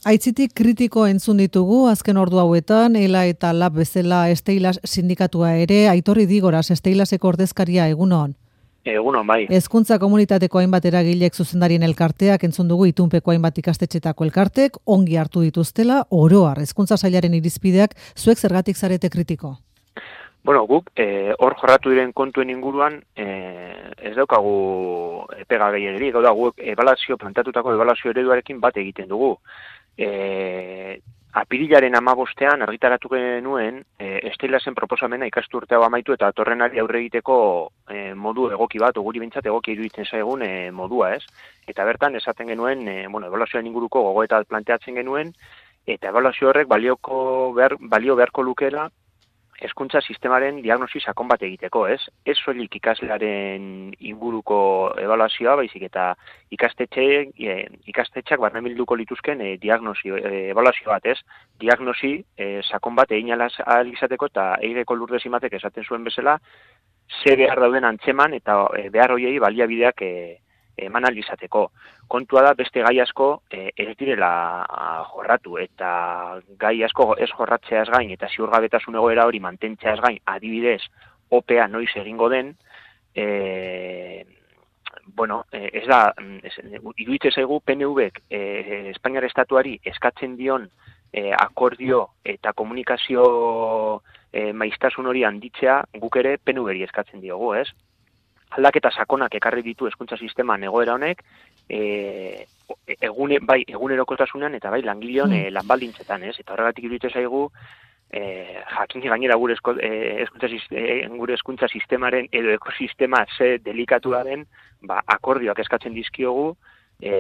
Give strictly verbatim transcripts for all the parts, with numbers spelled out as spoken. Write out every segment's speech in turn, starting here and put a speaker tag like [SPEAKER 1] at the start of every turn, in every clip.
[SPEAKER 1] Aitzitik kritiko entzun ditugu azken ordu hauetan, Ela eta Lab bezala Steilas sindikatua ere, Aitor Idigoras Steilaseko ordezkaria egunon.
[SPEAKER 2] Egunon, bai.
[SPEAKER 1] Hezkuntza komunitateko hainbat eragilek zuzendarien elkarteak entzun dugu itunpeko hainbat ikastetxetako elkartek ongi hartu dituztela oroar hezkuntza sailaren irizpideak zuek zergatik zarete kritiko.
[SPEAKER 2] Bueno, guk eh, hor jorratu diren kontuen inguruan eh, ez daukagu pega gehiegirik, gau da guk ebaluazio plantatutako ebaluazio ereduarekin bat egiten dugu. Eh, Apirilaren hamabostean argitaratu genuen e, Steilasen proposamena ikasturte hau amaitu eta atorrenari aurre egiteko e, modu egoki bat, guri bintzat egoki iruditzen zaigun e, modua, ez? Eta bertan esaten genuen, e, bueno, ebaluazioan inguruko gogoeta planteatzen genuen, eta ebaluazio horrek balioko behar, balio beharko lukeela hezkuntza sistemaren diagnosi sakon bat egiteko, ez? Ez soilik ikaslearen inguruko ebaluazioa, baizik eta ikastetxe, e, ikastetxak barnebilduko lituzken e, diagnosi, e, ebaluazio bat, ez? Diagnosi e, sakon bat egin ahal izateko eta Eireko Lurdes Imatek esaten zuen bezala, ze behar dauden antzeman eta e, behar hoiei baliabideak e, eman ahal izateko. Kontua da beste gai asko e, ez direla jorratu eta gai asko ez jorratzeaz gain eta ziurgabetasun egoera hori mantentzeaz gain, adibidez, opea noiz egingo den, e, bueno, ez da, ez, iruditzen zaigu P N Vek e, Espainiar Estatuari eskatzen dion e, akordio eta komunikazio e, maiztasun hori handitzea guk ere P N Veri eskatzen diogu, ez? Aldaketa sakonak ekarri ditu hezkuntza sisteman egoera honek, e, egune, bai egunerokotasunean eta bai langileon e, lanbaldintzetan, ez? Eta horregatik iruditzen zaigu e, jakin gainera gure esko, e, hezkuntza e, gure hezkuntza sistemaren edo ekosistema ze delikatua den, ba akordioak eskatzen dizkiogu e,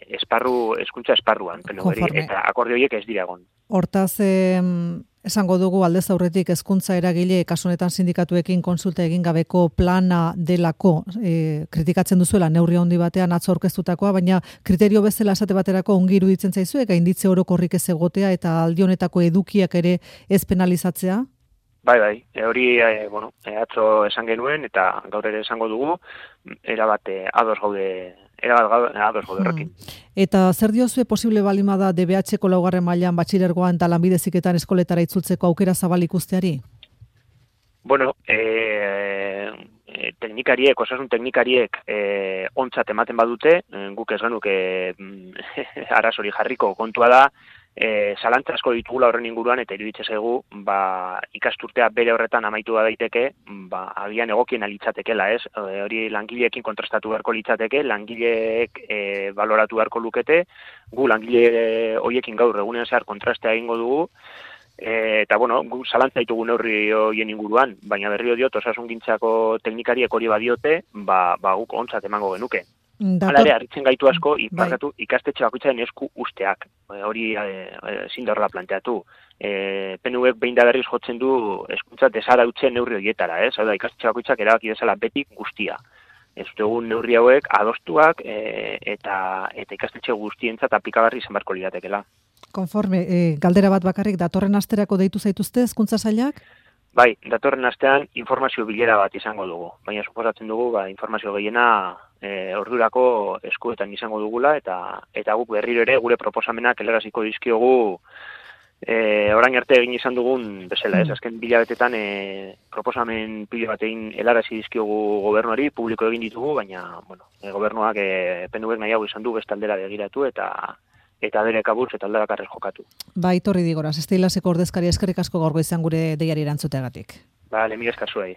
[SPEAKER 2] esparru hezkuntza esparruan, eta akordio horiek ez dira egon.
[SPEAKER 1] Hortaz, eh, esango dugu aldez aurretik hezkuntza eragile kasu honetan sindikatuekin konsulta egin gabeko plana delako e, kritikatzen duzuela neurri handi batean atzo aurkeztutakoa, baina kriterio bezala esate baterako ongi iruditzen zaizue gainditze orokorrik ez egotea eta aldi honetako edukiak ere ez penalizatzea?
[SPEAKER 2] Bai, bai, e, hori e, bueno, e, atzo esan genuen eta gaur ere esango dugu, erabat e, ados gaude erabat ados gaude horrekin.
[SPEAKER 1] Hmm. Eta zer diozue posible balima da D B H-ko laugarren mailan batxilergoan eta lanbide heziketan eskoletara itzultzeko aukera zabal ikusteari?
[SPEAKER 2] Bueno, e, e, teknikariek, osasun teknikariek e, ontzat ematen badute, guk ez genuke arazori jarriko kontua da, E, zalantza asko ditugula horren inguruan eta iruditzen zaigu ba, ikasturtea bere horretan amaitu da daiteke, ba, agian egokien alitzatekela, ez? E, hori langileekin kontrastatu beharko litzateke, langileek e, baloratu beharko lukete, gu langile horiekin gaur egunean zehar kontrastea egingo dugu, e, eta bueno, gu zalantza ditugu neurri horien inguruan, baina berrio diot osasungintzako teknikariek hori badiote, ba, ba guk ontzat emango genuke. Hala ere, harritzen gaitu asko, ipakatu, ikastetxe bakoitzaren esku usteak. Hori ezin da horrela planteatu. E, P N Vek behin da berriz jotzen du hezkuntza desarautzen neurri horietara, ez? Hau da, ikastetxe bakoitzak erabaki dezala betik guztia. Ez dute egun neurri hauek adostuak e, eta, eta ikastetxe guztientzat aplikagarri izan beharko liratekela.
[SPEAKER 1] Konforme, e, galdera bat bakarrik, datorren asterako deitu zaituzte hezkuntza sailak?
[SPEAKER 2] Bai, datorren astean informazio bilera bat izango dugu, baina suposatzen dugu ba, informazio gehiena e, ordurako eskuetan izango dugula eta eta guk berriro ere gure proposamenak helaraziko dizkiogu e, orain arte egin izan dugun bezala, ez? Azken bilabetetan e, proposamen pila batein helarazi dizkiogu gobernuari, publiko egin ditugu, baina bueno, e, gobernuak e, P N Vek nahiago izan du beste aldera begiratu eta eta bere kabuz eta aldabakarrez jokatu.
[SPEAKER 1] Ba, Aitor Idigoras, Steilaseko ordezkaria eskerrik asko gaur goizean gure deiari erantzuteagatik.
[SPEAKER 2] Ba, mila esker zuei.